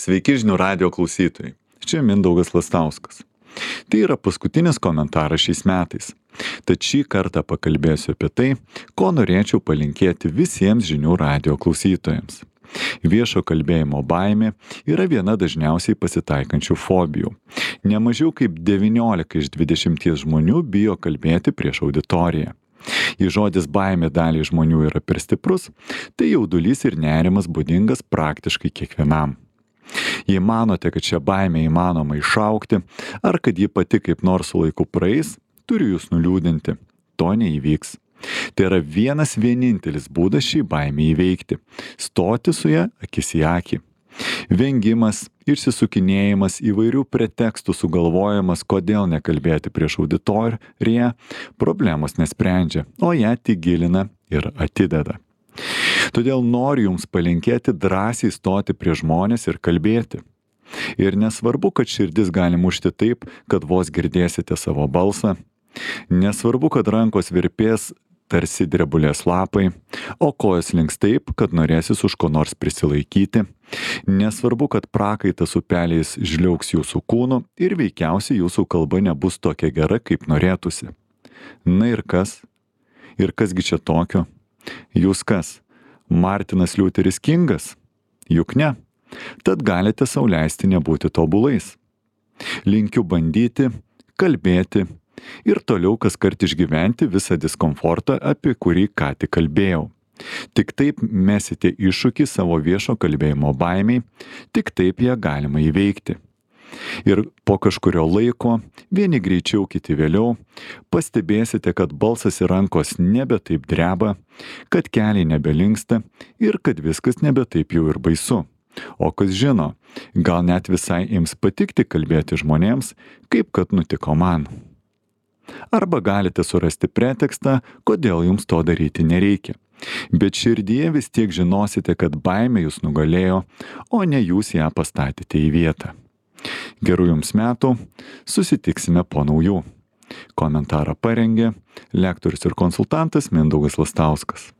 Sveiki žinių radijo klausytojai. Čia Mindaugas Lastauskas. Tai yra paskutinis komentaras šiais metais. Tad šį kartą pakalbėsiu apie tai, ko norėčiau palinkėti visiems žinių radijo klausytojams. Viešo kalbėjimo baimė yra viena dažniausiai pasitaikančių fobijų. Nemažiau kaip 19 iš 20 žmonių bijo kalbėti prieš auditoriją. Jei žodis baimė daliai žmonių yra per stiprus, tai jaudulys ir nerimas būdingas praktiškai kiekvienam. Jei manote, kad šią baimę įmanoma išaukti, ar kad ji pati kaip nors su laiku praeis, turiu jūs nuliūdinti. To neįvyks. Tai yra vienintelis būdas šį baimę įveikti - stoti su ja akis į akį. Vengimas, išsisukinėjimas, įvairių pretekstų sugalvojimas, kodėl nekalbėti prieš auditoriją, problemos nesprendžia, o ją tik gilina ir atideda. Todėl noriu jums palinkėti drąsiai stoti prie žmonės ir kalbėti. Ir nesvarbu, kad širdis gali mušti taip, kad vos girdėsite savo balsą. Nesvarbu, kad rankos virpės tarsi drebulės lapai, o kojos links taip, kad norėsis už ko nors prisilaikyti. Nesvarbu, kad prakaitas upeliais žliaugs jūsų kūnu ir veikiausiai jūsų kalba nebus tokia gera, kaip norėtųsi. Na ir kas? Ir kasgi čia tokio? Jūs kas? Martinas Liuteris Kingas? Juk ne. Tad galite sau leisti nebūti tobulais. Linkiu bandyti, kalbėti ir toliau kaskart išgyventi visą diskomfortą, apie kurį ką tik kalbėjau. Tik taip mesite iššūkį savo viešo kalbėjimo baimiai, tik taip ją galima įveikti. Ir po kažkurio laiko, vieni greičiau, kiti vėliau, pastebėsite, kad balsas ir rankos nebe taip dreba, kad keliai nebelinksta ir kad viskas nebe taip jau ir baisu. O kas žino, gal net visai ims patikti kalbėti žmonėms, kaip kad nutiko man. Arba galite surasti pretekstą, kodėl jums to daryti nereikia. Bet širdyje vis tiek žinosite, kad baimė jūs nugalėjo, o ne jūs ją pastatėte į vietą. Gerų jums metų, susitiksime po naujų. Komentarą parengė lektorius ir konsultantas Mindaugas Lastauskas.